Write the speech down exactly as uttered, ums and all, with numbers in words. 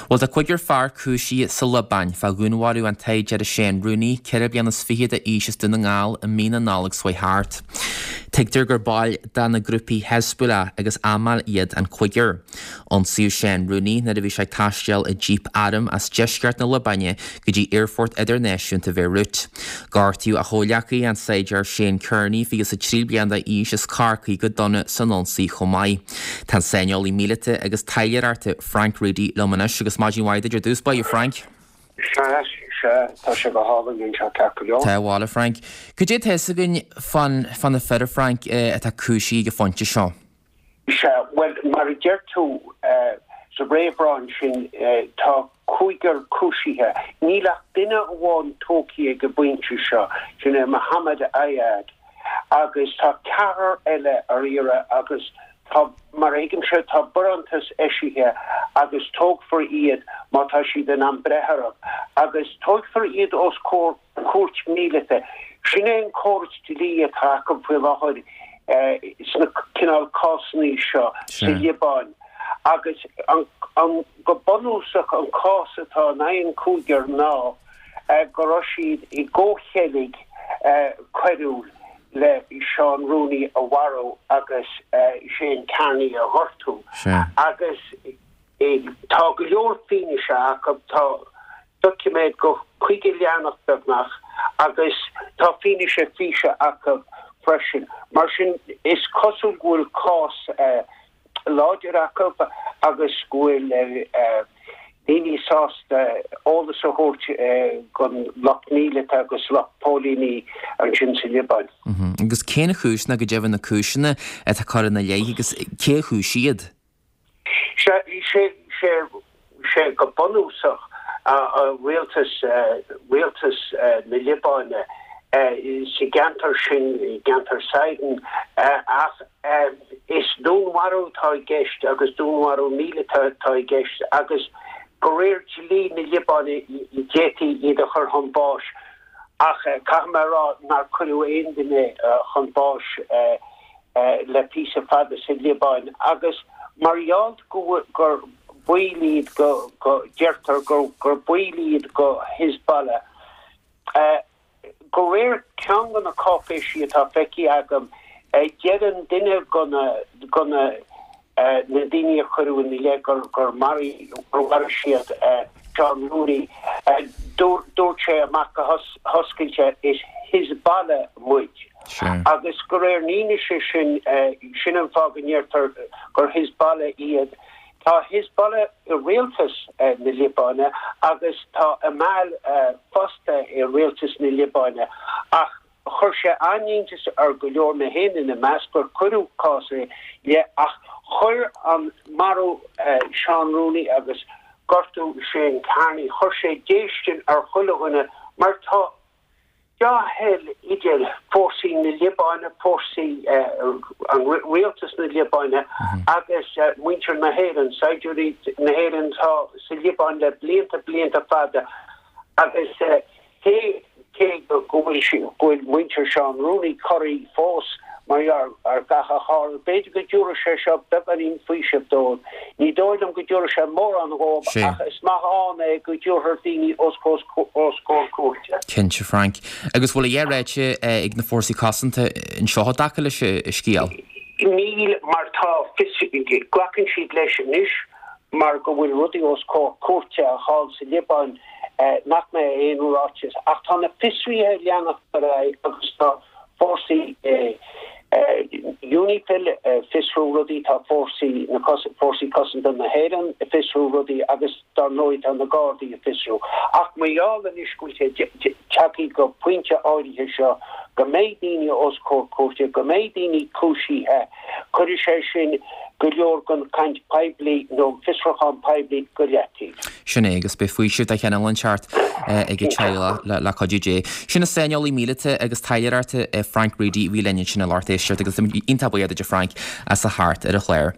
Bhuel, tá cúigear fear cúisithe sa Liobáin fá dhúnmharú an tsaighdiúra Shane Rooney, ceithre bliana is fiche d'aois as Dún na nGall i mí na Nollag seo thart. Tuigtear gur baill de na grúpaí Hezbollah agus Amal iad an cúigear. Ionsaíodh Shane Rooney nuair a bhí sé ag taisteal i jíp airm as deisceart na Liobáine go dtí Aerfort Idirnáisiúnta Bheirut. Gortaíodh a chomhghleacaí an saighdiúir Shane Kearney fiche is a trí bliana d'aois as Corcaigh go dona san ionsaí chomh maith. Tá an saineolaí míleata agus taidhleoireachta Frank Reidy liom anois agus maidin mhaith duit ar dtús báire Frank. Sea, sea, tá sé go hálainn anseo ceart go leor. Tá abhaile Frank. Cad é tá fhios againn fán fá na fir Frank atá cúisithe ag an phointe seo? Sea, bhuel, mar a deir tú sa réamhrá ansin, tá cúigear cúisithe. Níl ach duine amháin tógtha ag an bpointe seo, sin é Mohammed Ayad, agus tá ceathrar eile ar iarraidh agus tá, mar a thuigimse, tá barántas eisithe agus tógfar iad má tá siad in ann breith orthu agus tógfar iad os comhair cúirt míleata. Sin é an córas dlí atá acu faoi láthair sna cineál cásanna seo sa Liobáin agus an, an, go bunúsach an cás atá in aghaidh an chúigear ná go raibh siad i gcomhcheilg coiriúil le Seán Rooney a mharú agus Shane Kearney a ghortú. Agus tá go leor fianaise acu, tá doiciméad go caoga leathanach beagnach agus tá fianaise físe acu freisin. Mar sin is cosúil go bhfuil cás láidir acu agus go bhfuil daoine sásta eolas a thabhairt don lucht míleata agus lucht póilíní ansin sa Liobáin. Agus cén chúis nó go deimhin na cúiseanna atá curtha ina leith agus cé a chúisigh iad? Sé, sé, sé, sé go bunúsach rialtas, rialtas na Liobáine sa gceantar sin, i gceantar Sidon, ach is dúnmharú atá i gceist agus dúnmharú míleata atá i gceist agus de réir dlí na Liobáine d'fhéadfaí iad a chur chun báis ach caithfidh mé a rá nár cuireadh aon duine chun báis le píosa fada sa Liobáin agus mar gheall go gur baill iad go go deirtear gur gur baill iad go Hezbollah. De réir ceann de na cáipéisí atá feicthe agam, deireann duine de na de na na daoine a cuireadh ina leith gur gur maraigh gur mharaigh siad Seán Rooney, dúirt sé amach go hoscailte is Hezbollah muid. Agus de réir na fianaise sin, sin an fáth go ndeirtear gur Hezbollah iad. Tá Hezbollah i rialtas na Liobáine agus tá Amal fosta i rialtas na Liobáine ach chuir sé an-iontas ar go leor, mé féin ina measc, gur cuireadh cás ina leith ach chuir an marú Seán Rooney agus gortú Shane Kearney, chuir sé déistin ar chuile dhuine mar tá dea-thoil idir fórsaí na Liobáine, fórsaí an rialtas na Liobáine agus muintir na hÉireann, saighdiúirí na hÉireann atá sa Liobáin le blianta, blianta fada agus cé cé go bhfuil go bhfuil muintir Seán Rooney corraithe fós mar gheall ar gach a tharla, b'fhéidir go dtabharfaidh sé seo beagáinín faoisimh dóibh. Ní dóigh liom go dtabharfaidh sé mórán dhóibh ach is maith ann é go dtabharfar daoine os comhair cúirte. Cinnte, Frank. Agus bhfuil a dhath ráite ag na fórsaí cosanta anseo i dtaca leis an scéal? Níl, mar tá fios, glacann siad leis anois mar go bhfuil rudaí os comhair cúirte thall sa Liobáin nach mbeidh aon ráiteas. Ach tá na fiosruithe ag leanacht ar aghaidh agus tá fórsaí UNIFIL ag fiosrú rudaí, tá fórsaí na Fórsaí Cosanta na hÉireann ag fiosrú rudaí agus dar ndóigh tá na Gardaí ag fiosrú. Ach mar gheall anois go bhfuil sé tagtha go pointe áirithe seo go mbeidh daoine os comhair cúirte, go mbeidh daoine cúisithe, cuirfidh sé sin go leor den chaint poiblí nó an fiosrúchán poiblí go leataobh. Sin é, agus beidh faoiseamh de chineál inteacht ag an teaghlach le cuidiú Dé. Sin an saineolaí míleata agus taidhleoireachta Frank Reidy a bhí linn ansin a lucht éisteachta agus iontach buíoch duit a Frank as a theacht ar an chlár.